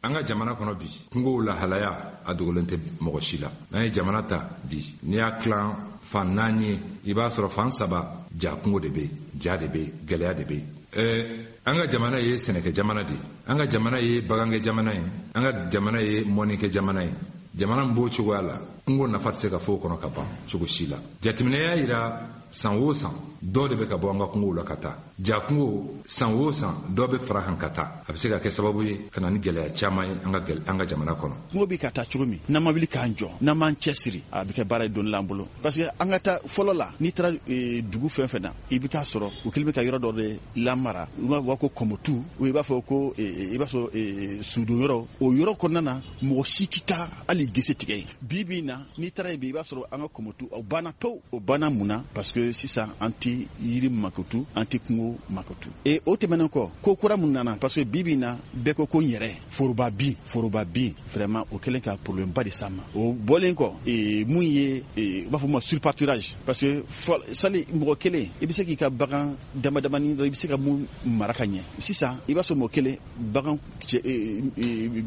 An ka jamana kɔnɔ bi, kungow lahalaya a dogolen tɛ mɔgɔ si la. N'an ye jamana ta bi, n'i y'a tilan fan 4 ye, i b'a sɔrɔ fan 3 ja kungo de bɛ yen, ja de bɛ yen, gɛlɛya de bɛ yen. An ka jamana ye sɛnɛkɛ jamana de ye, an ka jamana ye bagankɛ jamana ye, an ka jamana ye mɔnikɛ jamana ye. Jamana min b'o cogoya la, kungo nafa tɛ se ka fɔ o kɔnɔ ka ban cogo si la. Jateminɛ y'a yira san o san dɔ de bɛ ka bɔ an ka kungow la ka taa. Ja kungo san o san dɔ bɛ fara kan ka taa. A bɛ se ka kɛ sababu ye ka na ni gɛlɛya caman ye an ka jamana kɔnɔ. Kungo bɛ ka taa cogo min, n'an ma wuli k'an jɔ, n'an m'an cɛsiri, a bɛ kɛ baara ye don l'an bolo. Parce que an ka taa fɔlɔ la, n'i taara dugu fɛn fɛn na, i bɛ taa sɔrɔ u kɛlen bɛ ka yɔrɔ dɔ de lamara. U b'a fɔ ko kɔmɔtu, i b'a fɔ ko i b'a sɔrɔ sudon yɔrɔ. O yɔrɔ kɔnɔna na, mɔgɔ si tɛ taa hali gese tigɛ yen. Bi bi in na, n'i taara yen bi, i b'a sɔrɔ an ka kɔmɔtu o banna pewu. O banna mun na? Parce que sisan an tɛ yiri makotu, an tɛ kungo makotu. Et o tɛmɛnen kɔ, ko kura mun nana, parce que bi bi in na, bɛɛ ko ko n yɛrɛ foroba bin, foroba bin, vraiment o kɛlen ka problème ba de s'an ma. O bɔlen kɔ, mun ye u b'a fɔ ma surpâturage, parce que sali mɔgɔ kelen i bɛ se k'i ka bagan dama damani dɔrɔn, i bɛ se ka mun mara ka ɲɛ. Sisan i b'a sɔrɔ mɔgɔ kelen bagan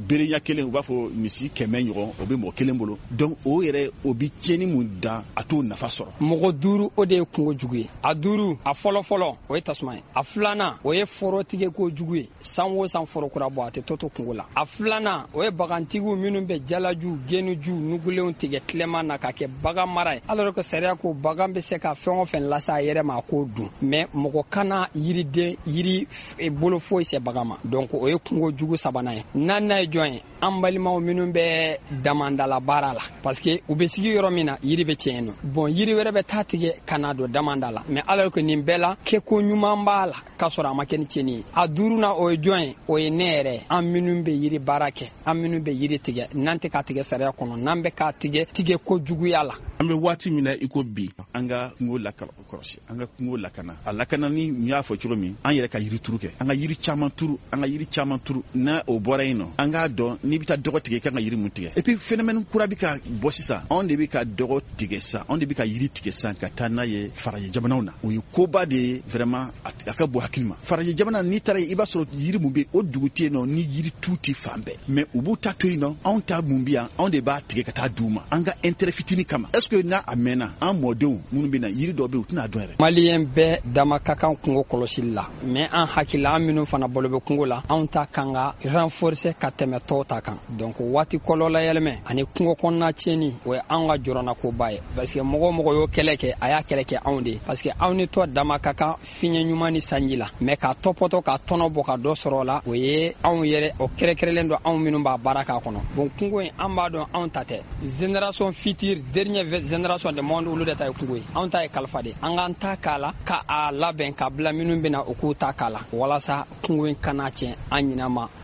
berenya kelen, u b'a fɔ misi 100 ɲɔgɔn, o bɛ mɔgɔ kelen bolo. Donc o yɛrɛ o bɛ tiɲɛni mun dan, a t'o nafa sɔrɔ. Mɔgɔ 5 o de ye kungo jugu ye. A 5, a fɔlɔ fɔlɔ o ye tasuma ye. A filanan o ye foro tigɛ ko jugu ye. San o san foro kura bɔ, a tɛ to kungo la. A filanan o ye bagantigiw minnu bɛ jalaju, genuju, nugulenw tigɛ tilema na ka kɛ bagan mara ye. Alors que sariya ko bagan bɛ se ka fɛn o fɛn lase a yɛrɛ ma, a k'o dun. Mais mɔgɔ kana yiriden, yiri bolo foyi se bagan ma. Donc o ye kungo jugu sabanan ye. Naaninan ye jɔn ye? An balimaw minnu bɛ damandala baara la, parce que u bɛ sigi yɔrɔ min na, yiri bɛ tiɲɛ nɔ. Bon, yiri wɛrɛ bɛ taa tigɛ ka na don damanda la. Mais alors que nin bɛɛ la, kɛko ɲuman b'a la k'a sɔrɔ a ma kɛ ni tiɲɛni ye. A 5nan o ye jɔn ye? O ye ne yɛrɛ ye. An minnu bɛ yiri baara kɛ, an minnu bɛ yiri tigɛ, n'an tɛ k'a tigɛ sariya kɔnɔ, n'an bɛ k'a tigɛ tigɛ ko juguya la. An bɛ waati min na i ko bi, an ka kungo lakɔlɔsi, an ka kungo lakana. A lakanani, n y'a fɔ cogo min, an yɛrɛ ka yiri turu kɛ, an ka yiri caman turu, an ka yiri caman turu. N'a o bɔra yen nɔ, an k'a dɔn n'i bɛ taa dɔgɔ tigɛ, i kan ka yiri mun tigɛ. Et puis phénomène kura bɛ ka bɔ sisan, anw de bɛ ka dɔgɔ tigɛ sisan, anw de bɛ ka yiri tigɛ sisan ka taa n'a ye farajɛ jamanaw na. O ye koba de ye vraiment, a ka bon hakili ma. Farajɛ jamana, n'i taara yen, i b'a sɔrɔ yiri mun bɛ yen, o dugu tɛ yen nɔ ni yiri tu tɛ fan bɛɛ. Mais u b'u ta to yen nɔ, anw ta mun bɛ yan, anw de b'a tigɛ ka taa d'u ma an ka intérêt fitinin kama. Est ce que n'a a mɛnna, an mɔdenw minnu bɛ na, yiri dɔw bɛ yen, u tɛna dɔn yɛrɛ. Maliyɛn bɛɛ dama ka kan kungo kɔlɔsili la, mais an hakili la, an minnu fana balo bɛ kungo la, anw ta kan ka renforcer ka tɛmɛ tɔw ta kan. Donc waati kɔlɔlɔ yɛlɛmɛ ani kungo kɔnɔna tiɲɛni, o ye anw ka jɔrɔnakoba ye. Parce que mɔgɔ o mɔgɔ y'o kɛlɛ kɛ, a y'a kɛlɛ kɛ anw de ye. Parce que anw ni tɔ dama ka kan fiɲɛ ɲuman ni sanji la, mais k'a tɔpɔtɔ ka tɔnɔ bɔ ka dɔ sɔrɔ o la, o ye anw yɛrɛ, o kɛrɛkɛrɛnlen don anw minnu b'a baara k'a kɔnɔ. Bon, kungo in, an b'a dɔn anw ta tɛ. Génération future, dernière génération de monde, olu de ta ye kungo ye. Anw ta ye kalifa de. An k'an ta k'a la, ka a labɛn ka bila minnu bɛna, u k'u ta k'a la, walasa kungo in kana tiɲɛ an ɲinɛ ma.